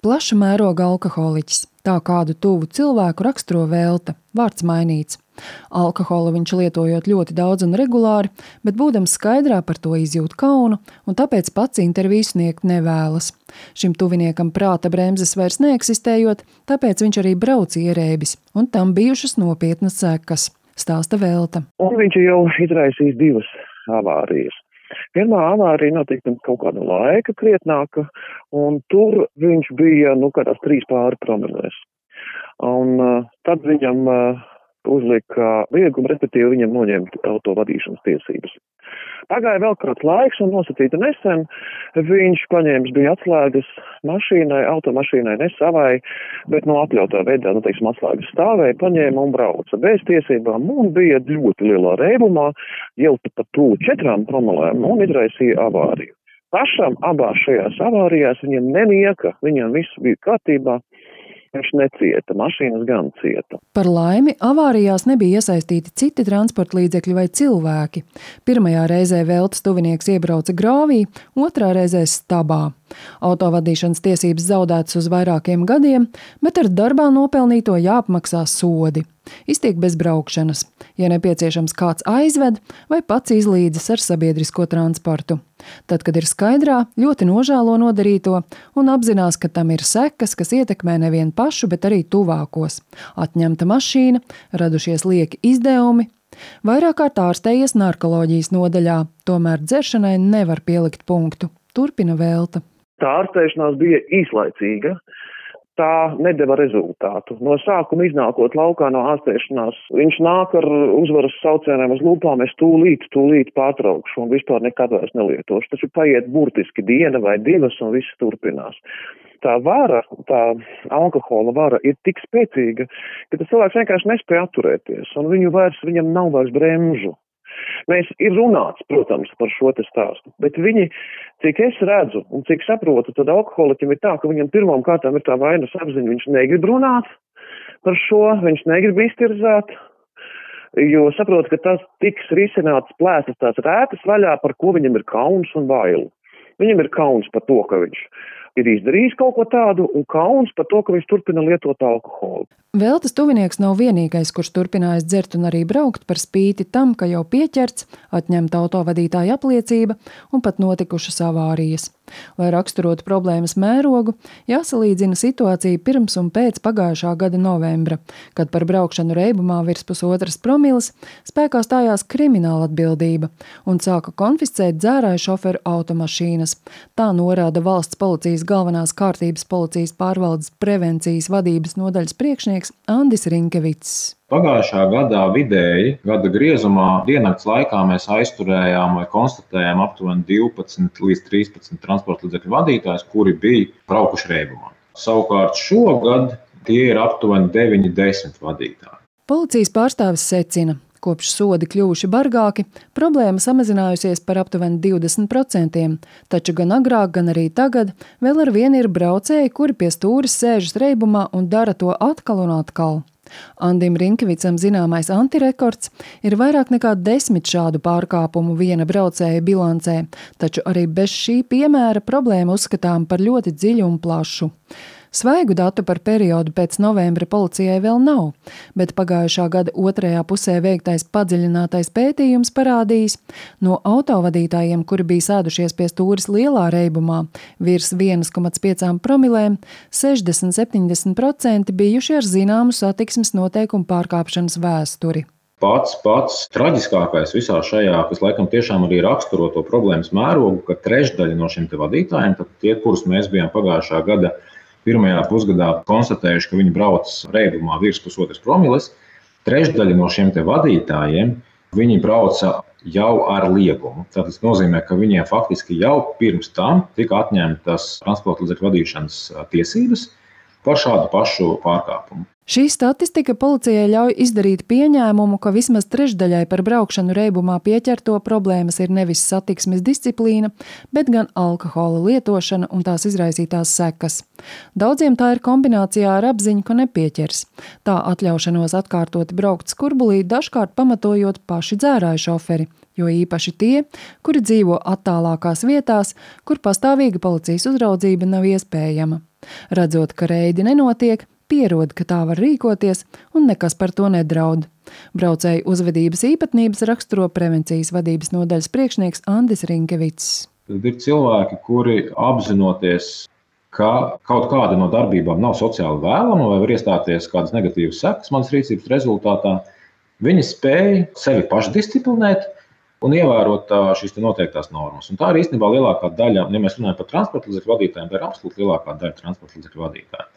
plaša mēroga alkoholiķis. Tā kādu tuvu cilvēku raksturo Velta, vārds mainīts. Alkoholu viņš lietojot ļoti daudz un regulāri, bet būdams skaidrā par to izjūt kaunu un tāpēc pats interviju sniegt nevēlas. Šim tuviniekam prāta bremzes vairs neeksistējot, tāpēc viņš arī brauc ierēbis un tam bijušas nopietnas sekas, stāsta Velta. Un viņš jau izraisīs 2 avārijas. Pirmā avārija notika pirms kaut kāda laika krietnāka, un tur viņš bija, kādās 3 pāri promilēs. Un tad viņam uzlika liegumu, respektīvi viņam noņemt auto vadīšanas tiesības. Pagāja vēl kāds laiks un nosacīta nesen, viņš paņēmis bija atslēgas mašīnai, automašīnai, ne savai, bet atļautā veidā, atslēgas stāvēja, paņēma un brauca bez tiesībām un bija ļoti lielā reibumā, jau pat tuvu 4 promilēm un izraisīja avāriju. Pašam abās šajās avārijās viņam nemieka, viņam viss bija kārtībā. Viņš necieta, mašīnas gan cieta. Par laimi, avārijās nebija iesaistīti citi transporta līdzekļi vai cilvēki. Pirmajā reizē Veltas tuvinieks iebrauca grāvī, otrā reizē stabā. Autovadīšanas tiesības zaudētas uz vairākiem gadiem, bet ar darbā nopelnīto jāapmaksā sodi. Iztiek bez braukšanas, ja nepieciešams kāds aizved vai pats izlīdzas ar sabiedrisko transportu. Tad, kad ir skaidrā, ļoti nožēlo nodarīto un apzinās, ka tam ir sekas, kas ietekmē nevien pašu, bet arī tuvākos. Atņemta mašīna, radušies lieki izdevumi. Vairāk kārt ārstējies narkoloģijas nodaļā, tomēr dzeršanai nevar pielikt punktu. Turpina Velta. Tā ārstēšanās bija īslaicīga. Tā nedeva rezultātu. No sākuma iznākot laukā no ārstēšanās, viņš nāk ar uzvaras saucieniem uz lūpām, es tūlīt pārtraukšu un vispār nekad vairs nelietošu. Taču paiet burtiski 1 vai 2 un viss turpinās. Tā vara, tā alkohola vara ir tik spēcīga, ka tas cilvēks vienkārši nespēja atturēties un viņam nav vairs bremžu. Ir runāts, protams, par šo te stāstu, bet viņi, cik es redzu un cik saprotu, tad alkoholiķim ir tā, ka viņam pirmām kārtām ir tā vainas apziņa, viņš negrib runāt par šo, viņš negrib iztirzāt, jo saprot, ka tas tiks risināts plēsas tās rētas vaļā, par ko viņam ir kauns un baili. Viņam ir kauns par to, ka viņš ir izdarījis kaut ko tādu un kauns par to, ka viņš turpina lietot alkoholu. Veltas tuvinieks nav vienīgais, kurš turpinājis dzert un arī braukt par spīti tam, ka jau pieķerts, atņemta autovadītāja apliecība un pat notikušas avārijas. Lai raksturotu problēmas mērogu, jāsalīdzina situācija pirms un pēc pagājušā gada novembra, kad par braukšanu reibumā virs 1,5 promilles spēkā stājās krimināla atbildība un sāka konfiscēt dzērāju šoferu automašīnas. Tā norāda valsts policijas galvenās kārtības policijas pārvaldes prevencijas vadības nodaļas priekšnieks Andis Rinkevits. Pagājušā gadā vidēji, gada griezumā, diennakts laikā mēs aizturējām vai konstatējām aptuveni 12 līdz 13 transporta līdzekļu vadītājus, kuri bija braukuši reibumā. Savukārt šogad tie ir aptuveni 9-10 vadītāji. Policijas pārstāvis secina, kopš sodi kļuvuši bargāki, problēma samazinājusies par aptuveni 20%, taču gan agrāk, gan arī tagad vēl ar vienu ir braucēji, kuri pie stūres sēžas reibumā un dara to atkal un atkal. Andim Rinkevicam zināmais antirekords ir vairāk nekā 10 šādu pārkāpumu viena braucēja bilancē, taču arī bez šī piemēra problēma uzskatām par ļoti dziļu un plašu. Svaigu datu par periodu pēc novembra policijai vēl nav, bet pagājušā gada otrajā pusē veiktais padziļinātais pētījums parādījis, no autovadītājiem, kuri bija sēdušies pie stūres lielā reibumā, virs 1,5 promilēm, 60-70% bijuši ar zināmu satiksmes noteikumu pārkāpšanas vēsturi. Pats traģiskākais visā šajā, kas laikam tiešām arī raksturo to problēmas mērogu, ka trešdaļa no šiem te vadītājiem, tad tie, kurus mēs bijām pagājušā gada pirmajā pusgadā konstatējuši, ka viņi brauc reibumā virs 1,5 promilles, trešdaļa no šiem te vadītājiem, viņi brauca jau ar liegumu. Tas nozīmē, ka viņiem faktiski jau pirms tam tika atņemtas transporta līdzekļu vadīšanas tiesības par šādu pašu pārkāpumu. Šī statistika policijai ļauj izdarīt pieņēmumu, ka vismaz trešdaļai par braukšanu reibumā pieķerto problēmas ir nevis satiksmes disciplīna, bet gan alkohola lietošana un tās izraisītās sekas. Daudziem tā ir kombinācijā ar apziņu, ka nepieķers. Tā atļaušanos atkārtoti braukt skurbulī dažkārt pamatojot paši dzērāju šoferi, jo īpaši tie, kuri dzīvo attālākās vietās, kur pastāvīga policijas uzraudzība nav iespējama. Redzot, ka reidi nenotiek, pierod, ka tā var rīkoties un nekas par to nedraud. Braucēju uzvedības īpatnības raksturo prevencijas vadības nodaļas priekšnieks Andis Rinkevits. Tad ir cilvēki, kuri apzinoties, ka kaut kāda no darbībām nav sociāli vēlama vai var iestāties kādas negatīvas sekas manas rīcības rezultātā, viņi spēj sevi pašdisciplinēt un ievērot šīs noteiktās normas. Un tā ir īstenībā lielākā daļa, ja mēs runājam par transporta līdzekļu vadītājiem, tā ir absolūti lielākā daļa transporta līdzekļu vadītāju.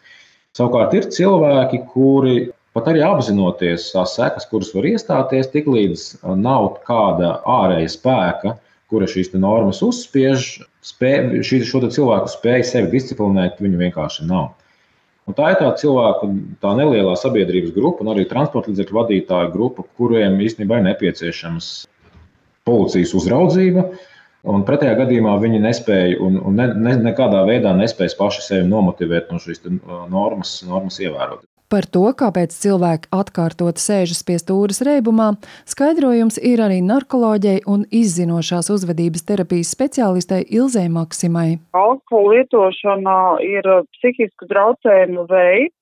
Savukārt ir cilvēki, kuri pat arī apzinoties tās sekas, kuras var iestāties, tiklīdz nav kāda ārēja spēka, kura šīs normas uzspiež, šo cilvēku spēju sevi disciplinēt, viņu vienkārši nav. Un tā ir tā cilvēku, tā nelielā sabiedrības grupa un arī transporta līdzekļu vadītāju grupa, kuriem īstenībā ir nepieciešams policijas uzraudzība, un pretējā gadījumā viņi nespēja un nekādā veidā nespējas paši sevi nomotivēt no šīs normas ievērot. Par to, kāpēc cilvēki atkārtot sēžas pie stūres reibumā, skaidrojums ir arī narkoloģei un izzinošās uzvedības terapijas speciālistei Ilzei Maksimai. Alkohola lietošana ir psihisku traucējumu veids,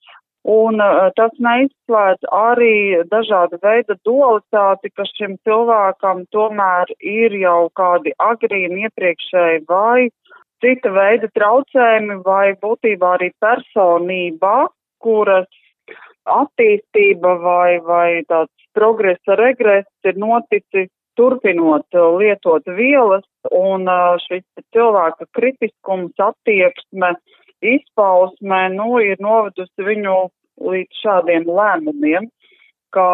un tas neizslēdz arī dažāda veida dualitāti, ka šim cilvēkam tomēr ir jau kādi agrīni iepriekšēji vai cita veida traucējumi vai būtībā arī personība, kuras attīstība vai tāds progresa regress ir noticis turpinot lietot vielas, un šis cilvēka kritiskums, attieksme, izpausme, ir novedusi viņu līdz šādiem lēmumiem, ka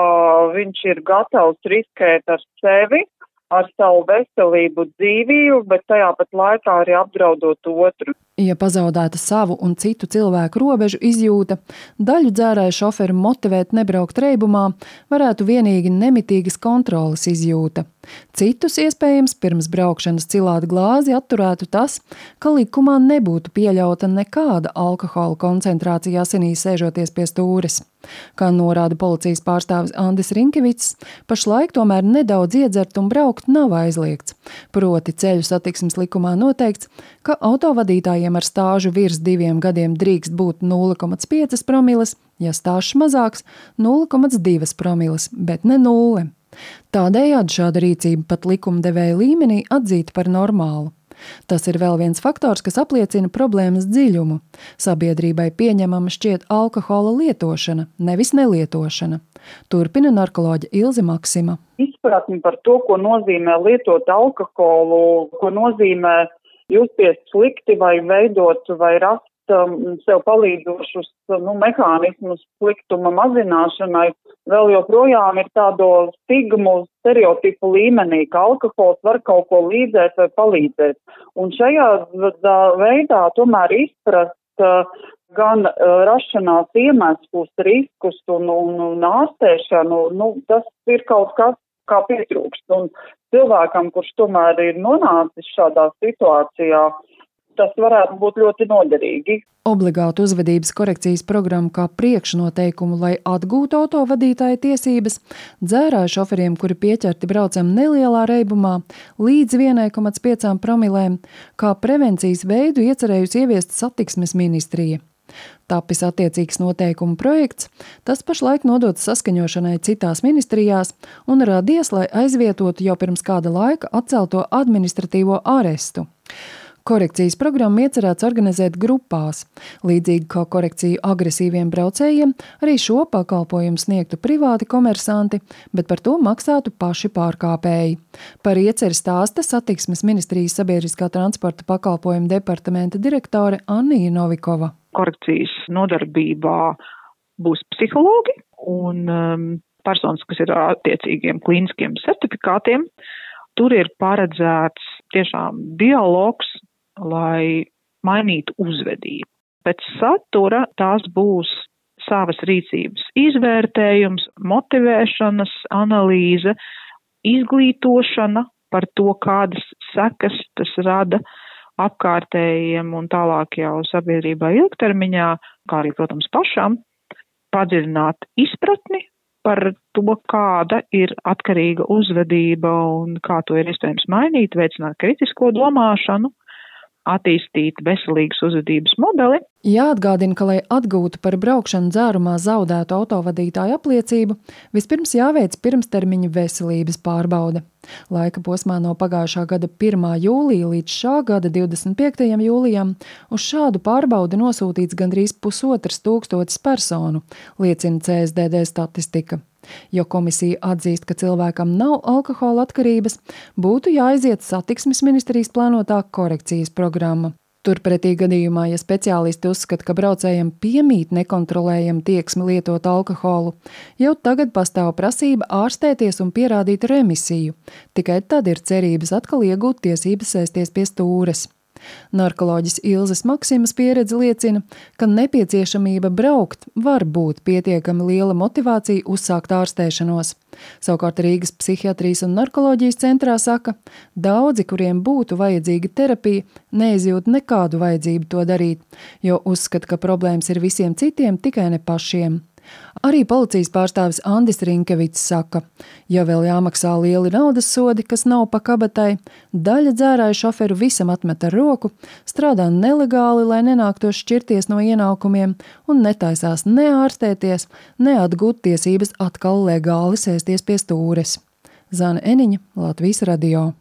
viņš ir gatavs riskēt ar sevi, ar savu veselību, dzīvību, bet tajā pat laikā arī apdraudot otru. Ja pazaudēta savu un citu cilvēku robežu izjūta, daļu dzērāju šoferu motivēt nebraukt reibumā, varētu vienīgi nemitīgas kontroles izjūta. Citus iespējams pirms braukšanas cilāt glāzi atturētu tas, ka likumā nebūtu pieļauta nekāda alkohola koncentrācija asinīs sēžoties pie stūres. Kā norāda policijas pārstāvis Andis Rinkevits, pašlaik tomēr nedaudz iedzert un braukt nav aizliegts. Proti ceļu satiksmes likumā noteikts, ka autovadītājiem ar stāžu virs 2 gadiem drīkst būt 0,5 promilles, ja stāžs mazāks 0,2 promilles, bet ne 0. Tādējādi šāda rīcība pat likumdevēja līmenī atzīta par normālu. Tas ir vēl viens faktors, kas apliecina problēmas dziļumu. Sabiedrībai pieņemama šķiet alkohola lietošana, nevis nelietošana. Turpina narkoloģe Ilze Maksima. Izpratni par to, ko nozīmē lietot alkoholu, ko nozīmē justies slikti vai veidot vai rast sev palīdzošus mehānismus sliktuma mazināšanai, vēl joprojām ir tādu stigmu stereotipu līmenī, ka alkohols var kaut ko līdzēt vai palīdzēt. Un šajā veidā tomēr izprast gan rašanās iemeslus, riskus un ārstēšanu, tas ir kaut kas, kā pietrūkst. Un cilvēkam, kurš tomēr ir nonācis šādā situācijā, tas varētu būt ļoti noderīgi. Obligātu uzvedības korekcijas programmu kā priekšnoteikumu, lai atgūtu autovadītāja tiesības, dzērāju šoferiem, kuri pieķerti braucam nelielā reibumā, līdz 1,5 promilēm, kā prevencijas veidu iecerējusi ieviest satiksmes ministrija. Tapis attiecīgs noteikumu projekts, tas pašlaik nodots saskaņošanai citās ministrijās un radies, lai aizvietotu jau pirms kāda laika atcelto administratīvo arestu. Korekcijas programmu iecerēts organizēt grupās. Līdzīgi kā korekciju agresīviem braucējiem, arī šo pakalpojumu sniegtu privāti komersanti, bet par to maksātu paši pārkāpēji. Par ieceri stāsta satiksmes ministrijas sabiedriskā transporta pakalpojuma departamenta direktore Annija Novikova. Korekcijas nodarbībā būs psihologi un personas, kas ir attiecīgiem klīniskiem certifikātiem. Tur ir paredzēts tiešām dialogs, lai mainītu uzvedību. Pēc satura tās būs savas rīcības izvērtējums, motivēšanas analīze, izglītošana par to, kādas sekas tas rada apkārtējiem un tālāk jau sabiedrībā ilgtermiņā, kā arī, protams, pašam, padziļināt izpratni par to, kāda ir atkarīga uzvedība un kā to ir iespējams mainīt, veicināt kritisko domāšanu. attīstīt veselīgas uzvedības modeli. Jāatgādina, ka, lai atgūtu par braukšanu dzērumā zaudētu autovadītāju apliecību, vispirms jāveic pirmstermiņa veselības pārbaude. Laika posmā no pagājušā gada 1. jūlija līdz šā gada 25. jūlijam uz šādu pārbaudi nosūtīts gandrīz 1500 personu, liecina CSDD statistika. Jo komisija atzīst, ka cilvēkam nav alkohola atkarības, būtu jāaiziet satiksmes ministrijas plānotā korekcijas programma. Turpretī gadījumā, ja speciālisti uzskata, ka braucējiem piemīt nekontrolējama tieksme lietot alkoholu, jau tagad pastāv prasība ārstēties un pierādīt remisiju. Tikai tad ir cerības atkal iegūt tiesības sēsties pie stūres. Narkoloģis Ilzes Maksimas pieredze liecina, ka nepieciešamība braukt var būt pietiekami liela motivācija uzsākt ārstēšanos. Savukārt Rīgas psihiatrijas un narkoloģijas centrā saka, daudzi, kuriem būtu vajadzīga terapija, neizjūt nekādu vajadzību to darīt, jo uzskata, ka problēmas ir visiem citiem, tikai ne pašiem. Arī policijas pārstāvis Andis Rinkevits saka, ja vēl jāmaksā lieli naudas sodi, kas nav pa kabatai, daļa dzērāju šoferu visam atmet ar roku, strādā nelegāli, lai nenāktos šķirties no ienākumiem un netaisās ne ārstēties, ne atgūt tiesības atkal legāli sēsties pie stūres. Zane Eniņa, Latvijas radio.